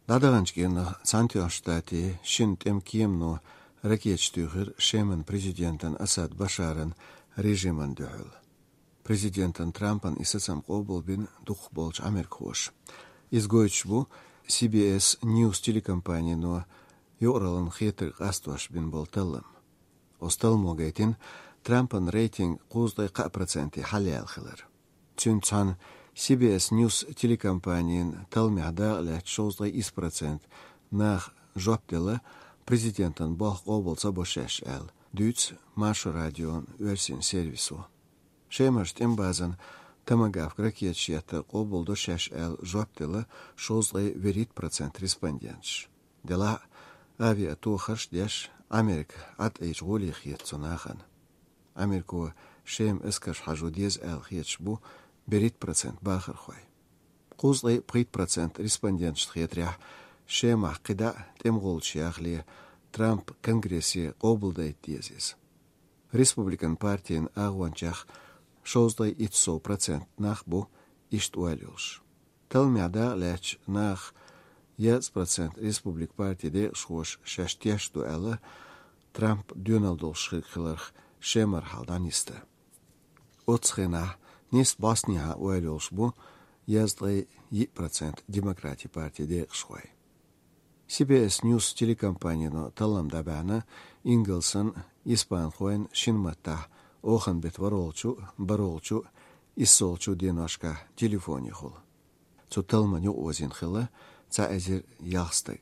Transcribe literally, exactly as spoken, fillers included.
ДӀадаханчу кӀиранах Цхьаьнатоьхначу Штатийн шина тӀеман кемано ракеташ туьйхира Шеман президентан Асад Башаран режимана дуьхьал. Президентан Трампан и сацам къобалбина дукхахболчу америкахоша. Иза гойтуш бу Си Би Эс Ньюс телекомпанино юкъараллин хетарг къастош бина болу таллам. Оцу талламо гайтина Трампан рейтинг кхузткъе кхаа проценте хьалаяьлла хилар. Цуьнца цхьаьна Си Би Эс Ньюс телекомпанин талламехь дакъалаьцна шовзткъе исс процент наха жоп делла, президентан болх къобал ца бо шаьш аьлла, дуьйцу Маршо радион оьрсийн сервисо. Шемарчу тӀеман базана томагавк ракеташ еттар къобалдо шаьш аьлла жоп делла шовзткъе вуьрхӀитта процент респонденташа. Делахь а, авиатохарш а деш, Америка Ӏадъайча гӀоле хета цу нахана. Америко Шема эскарш хьажо деза аьлла хеташ бу берхӀитта процент бахархой. Кхузткъе пхийтта процент респонденташна хетарехь, Шемахь кхидӀа а тӀеман гӀулчаш яхале, Трампа Конгрессе къобалдайта деза иза. Республикан партин агӀончех шовзткъе итт сов процент нах бу иштта ойла йолуш. Талламехь дакъалаьцначу нахах езткъа процент республик партин декъашхоша шаьш тешна ду аьлла, Трампа доьналла долуш хирг хиларх Шемара хьал дӀанисда. Оццу хенахь нийсса бӀостанехьа ойла йолуш бу езткъе йиъ процент демократин партин декъашхой. Си Би Эс Ньюс телекомпанино таллам дӀабаьхьна ингалсан, испанхойн шина маттахь оханан беттан ворхӀалгӀачу, бархӀалгӀачу, иссалгӀачу деношкахь телефонехула. Цу талламан юкъаозийна хилла цхьа эзар ялх стаг.